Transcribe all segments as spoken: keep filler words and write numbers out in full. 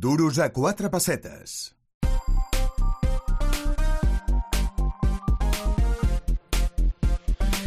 Duros a quatre pessetes.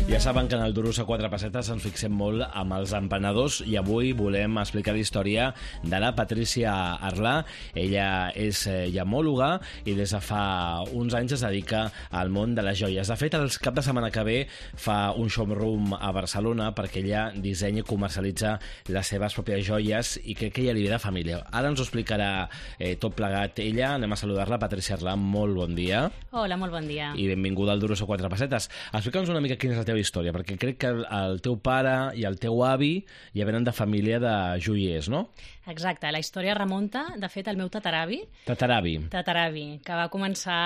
Ja saben que en el Duros a quatre pessetes ens fixem molt amb els emprenedors i avui volem explicar la història de la Patrícia Arlà. Ella és llamòloga i des de fa uns anys es dedica al món de les joies. De fet, el cap de setmana que ve fa un showroom a Barcelona perquè ella dissenya i comercialitza les seves pròpies joies i crec que ella li ve de família. Ara ens ho explicarà eh, tot plegat ella. Anem a saludar-la. Patrícia Arlà, molt bon dia. Hola, molt bon dia. I benvinguda al Duros a quatre pessetes. Explica'ns una mica quina és la teva història, perquè crec que el, el teu pare i el teu avi ja venen de família de joiers, no? Exacte, la història remunta, de fet, al meu tataravi. Tataravi. Tataravi, que va començar...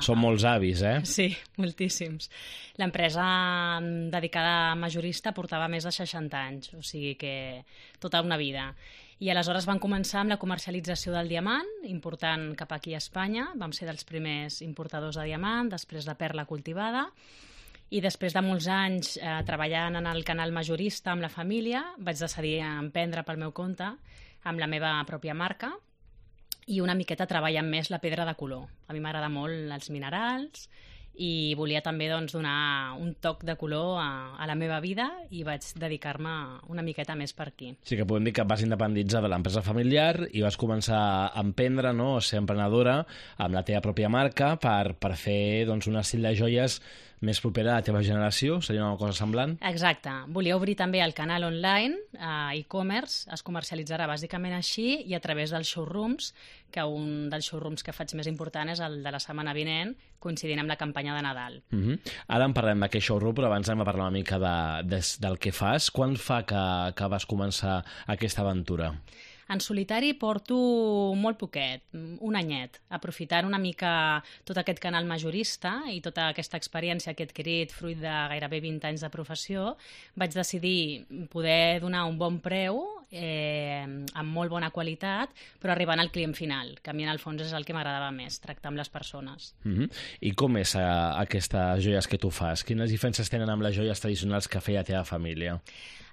Són molts avis, eh? Sí, moltíssims. L'empresa dedicada a majorista portava més de seixanta anys, o sigui que tota una vida. I aleshores van començar amb la comercialització del diamant, important cap aquí a Espanya. Vam ser dels primers importadors de diamant, després de perla cultivada. I després de molts anys eh, treballant en el canal majorista amb la família, vaig decidir emprendre pel meu compte amb la meva pròpia marca i una miqueta treballant més la pedra de color. A mi m'agrada molt els minerals i volia també doncs, donar un toc de color a, a la meva vida i vaig dedicar-me una miqueta més per aquí. Sí que podem dir que vas independitzar de l'empresa familiar i vas començar a emprendre, no? A ser emprenedora amb la teva pròpia marca per, per fer doncs, un estil de joies més propera a la teva generació? Seria una cosa semblant? Exacte. Volia obrir també el canal online, eh, e-commerce, es comercialitzarà bàsicament així i a través dels showrooms, que un dels showrooms que faig més important és el de la setmana vinent, coincidint amb la campanya de Nadal. Uh-huh. Ara en parlem d'aquest showroom, però abans anem a parlar una mica de, de, del que fas. Quan fa que, que vas començar aquesta aventura? En solitari porto molt poquet, un anyet, aprofitant una mica tot aquest canal majorista i tota aquesta experiència que he adquirit fruit de gairebé vint anys de professió, vaig decidir poder donar un bon preu, eh, amb molt bona qualitat, però arribant al client final, que a mi en el fons és el que m'agradava més, tractar amb les persones. Uh-huh. I com és uh, aquestes joies que tu fas? Quines diferències tenen amb les joies tradicionals que feia la teva família?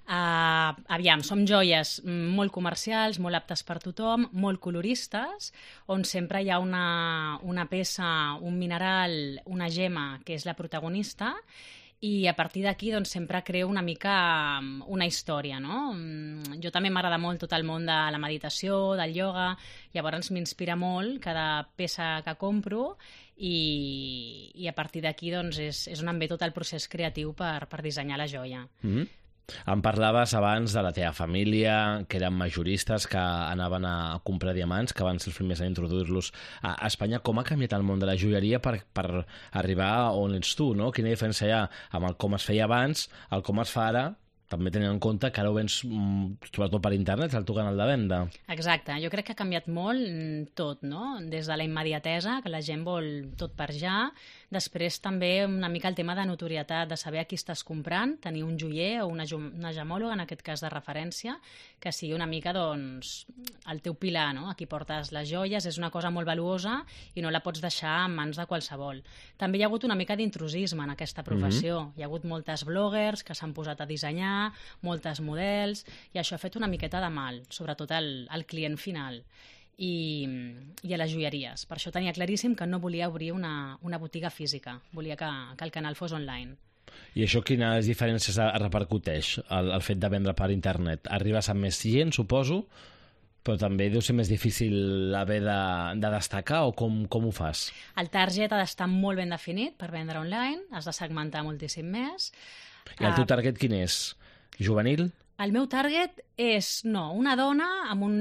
Uh, aviam, som joies molt comercials, molt aptes per tothom, molt coloristes, on sempre hi ha una, una peça, un mineral, una gema, que és la protagonista, i a partir d'aquí doncs, sempre creo una mica una història, no? Jo també m'agrada molt tot el món de la meditació, del ioga, llavors m'inspira molt cada peça que compro i, i a partir d'aquí doncs, és, és on em ve tot el procés creatiu per, per dissenyar la joia. Mm-hmm. Em parlaves abans de la teva família, que eren majoristes, que anaven a comprar diamants, que van ser els primers a introduir-los a Espanya. Com ha canviat el món de la joieria per, per arribar on ets tu, no? Quina diferència hi ha amb el com es feia abans, el com es fa ara, també tenint en compte que ara ho vens sobretot per internet, el teu canal de venda. Exacte, jo crec que ha canviat molt tot, no? Des de la immediatesa, que la gent vol tot per ja, després també una mica el tema de notorietat, de saber a qui estàs comprant, tenir un joier o una, una gemòloga, en aquest cas de referència, que sigui una mica doncs, el teu pilar, no? A qui portes les joies, és una cosa molt valuosa i no la pots deixar en mans de qualsevol. També hi ha hagut una mica d'intrusisme en aquesta professió. Mm-hmm. Hi ha hagut moltes bloggers que s'han posat a dissenyar, moltes models, i això ha fet una miqueta de mal, sobretot al, al client final i, i a les joieries. Per això tenia claríssim que no volia obrir una, una botiga física, volia que, que el canal fos online. I això quines diferències repercuteix, el, el fet de vendre per internet? Arribes amb més gent, suposo, però també deu ser més difícil haver de, de destacar, o com, com ho fas? El target ha d'estar molt ben definit per vendre online, has de segmentar moltíssim més. I el teu target quin és? Juvenil? El meu target és, no, una dona amb un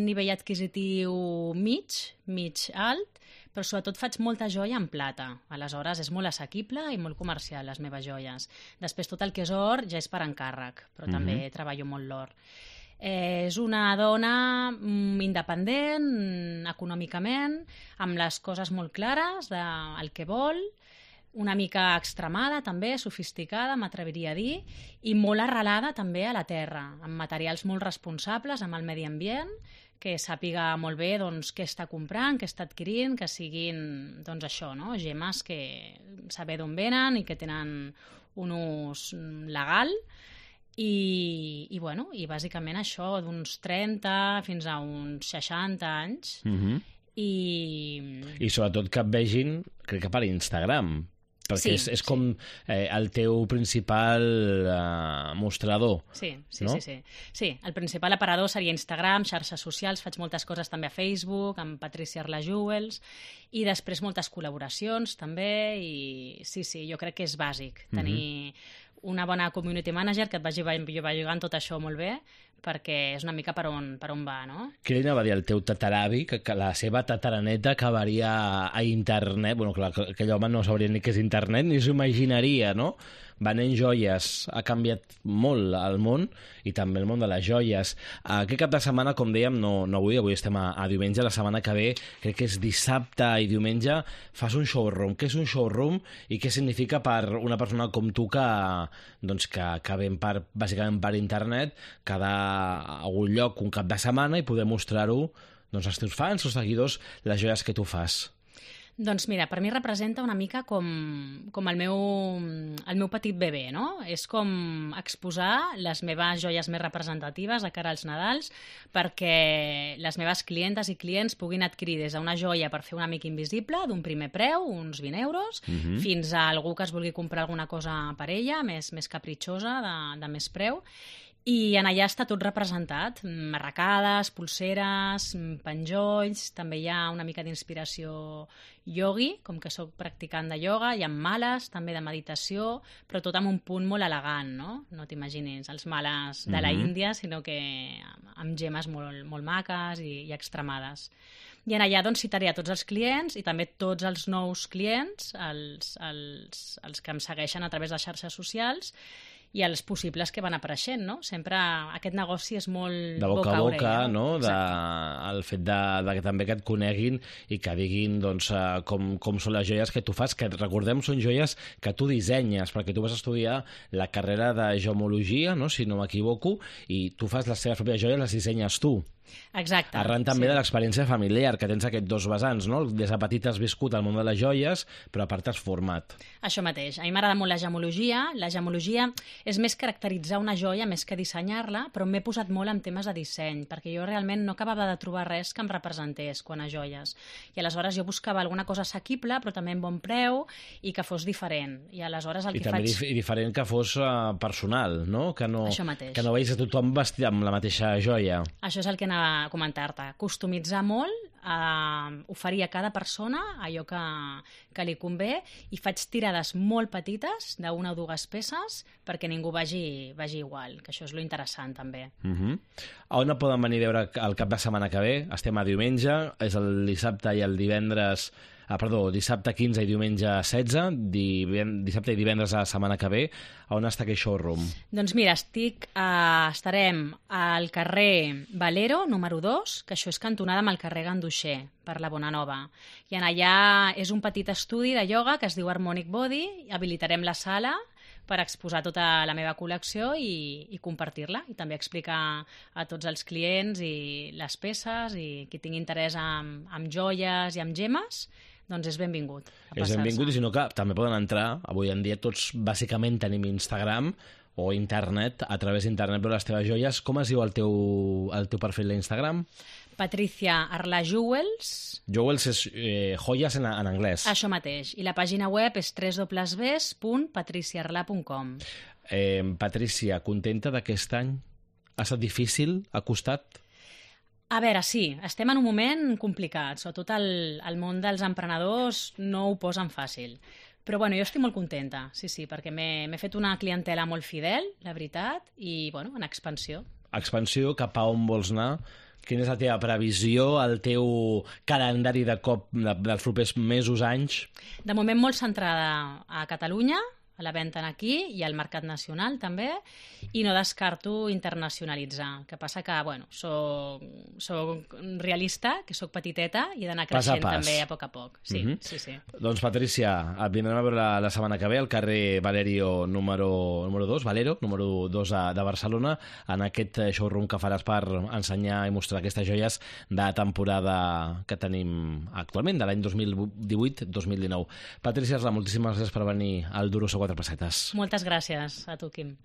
nivell adquisitiu mig, mig alt, però sobretot faig molta joia en plata. Aleshores és molt assequible i molt comercial, les meves joies. Després tot el que és or ja és per encàrrec, però mm-hmm. també treballo molt l'or. Eh, és una dona mm, independent, econòmicament, amb les coses molt clares del que vol, una mica extremada també, sofisticada, m'atreviria a dir, i molt arrelada també a la terra, amb materials molt responsables amb el medi ambient, que sàpiga molt bé doncs, què està comprant, què està adquirint, que siguin doncs, això, no? Gemes que saber d'on venen i que tenen un ús legal I, i, bueno, i bàsicament això, d'uns trenta fins a uns seixanta anys. Mm-hmm. I... I sobretot que et vegin, crec que per Instagram, perquè Sí, és, és sí. com eh, el teu principal eh, mostrador. Sí, sí, no? sí, sí. Sí, el principal aparador seria Instagram, xarxes socials, faig moltes coses també a Facebook, amb Patricia Arla Jewels, i després moltes col·laboracions també, i sí, sí, jo crec que és bàsic tenir una bona community manager que et vagi jugant tot això molt bé, perquè és una mica per on, per on va, no? Què li anava a dir al teu tataravi, que, que la seva tataraneta acabaria a internet? Bueno, clar, que aquell home no sabria ni què és internet, ni s'ho imaginaria, no? Venent joies ha canviat molt el món, i també el món de les joies. Aquest cap de setmana, com dèiem, no, no avui, avui estem a, a diumenge, la setmana que ve, crec que és dissabte i diumenge, fas un showroom. Què és un showroom i què significa per una persona com tu que, doncs, que, que ven per, bàsicament per internet, quedar a algun lloc un cap de setmana i poder mostrar-ho, doncs, als teus fans o seguidors les joies que tu fas? Doncs mira, per mi representa una mica com, com el, meu, el meu petit bebè, no? És com exposar les meves joies més representatives de cara als Nadals perquè les meves clientes i clients puguin adquirir des d'una joia per fer un amic invisible d'un primer preu, uns vint euros, Mhm. fins a algú que es vulgui comprar alguna cosa per ella, més, més capritxosa, de, de més preu. I en allà està tot representat, marracades, pulseres, penjolls, també hi ha una mica d'inspiració iogui, com que sóc practicant de ioga, hi ha males, també de meditació, però tot amb un punt molt elegant, no? No t'imaginis els males de la Mhm. Índia, sinó que amb gemes molt, molt maques i, i extremades. I en allà doncs, citaré a tots els clients i també tots els nous clients, els, els, els que em segueixen a través de xarxes socials, i els possibles que van apareixent, no? Sempre aquest negoci és molt De boca a boca, orella, no? De, Exacte. el fet de, de que també que et coneguin i que diguin doncs, eh, com, com són les joies que tu fas, que recordem són joies que tu dissenyes, perquè tu vas estudiar la carrera de geomologia, no? Si no m'equivoco, i tu fas les teves pròpies joies, les dissenyes tu. Exacte. Arran també sí. de l'experiència familiar, que tens aquests dos vessants, no? Des de petit has viscut el món de les joies, però a part t'has format. Això mateix. A mi m'agrada molt la gemologia. La gemologia és més caracteritzar una joia més que dissenyar-la, però m'he posat molt en temes de disseny, perquè jo realment no acabava de trobar res que em representés quan a joies. I aleshores jo buscava alguna cosa assequible, però també en bon preu i que fos diferent. I aleshores el I que també faig... dif diferent que fos uh, personal, no? Que no, Això mateix. que no veis a tothom vestit amb la mateixa joia. Això és el que anava a comentar-te. Customitzar molt, eh, oferir a cada persona allò que, que li convé, i faig tirades molt petites, d'una o dues peces, perquè ningú vagi, vagi igual, que això és lo interessant també. Uh -huh. A on poden venir a veure el cap de setmana que ve? Estem a diumenge, és el dissabte i el divendres... Ah, perdó, dissabte quinze i diumenge setze, diven... dissabte i divendres a la setmana que ve. A on està aquest showroom? Doncs mira, estic, eh, estarem al carrer Valero, número dos, que això és cantonada amb el carrer Ganduixer, per la Bonanova. I en allà és un petit estudi de ioga que es diu Harmonic Body, i habilitarem la sala per exposar tota la meva col·lecció i, i compartir-la, i també explicar a tots els clients i les peces, i qui tingui interès en, en joies i en gemes, doncs és benvingut. a És benvingut, i passar-se. si no que també poden entrar, avui en dia tots bàsicament tenim Instagram o internet, a través d'internet veure les teves joies. Com es diu el teu, el teu perfil d'Instagram? Patricia Arla Jewels, Jewels és eh, joies en, en anglès. això mateix. I la pàgina web és w w w punt patricia arla punt com. Eh, Patricia, contenta d'aquest any? Ha estat difícil? Ha costat? A veure, sí, estem en un moment complicat. Sobretot el, el món dels emprenedors no ho posen fàcil. Però bueno, jo estic molt contenta, sí, sí, perquè m'he fet una clientela molt fidel, la veritat, i bueno, en expansió. Expansió, cap a on vols anar? Quina és la teva previsió, el teu calendari de cop de, dels propers mesos, anys? De moment molt centrada a Catalunya, a la venda aquí i al mercat nacional també, i no descarto internacionalitzar. Que passa que, bueno, soc, soc realista, que soc petiteta i he d'anar Pas a creixent pas. també a poc a poc. Sí, Mhm. sí, sí. Doncs, Patricia, et vindrem a veure la, la setmana que ve al carrer Valerio número, número dos, Valero, número dos de, de Barcelona, en aquest showroom que faràs per ensenyar i mostrar aquestes joies de temporada que tenim actualment, de l'any dos mil divuit dos mil dinou. Patricia Arla, moltíssimes gràcies per venir al Duro sobre quatre pessetes. Moltes gràcies a tu, Quim.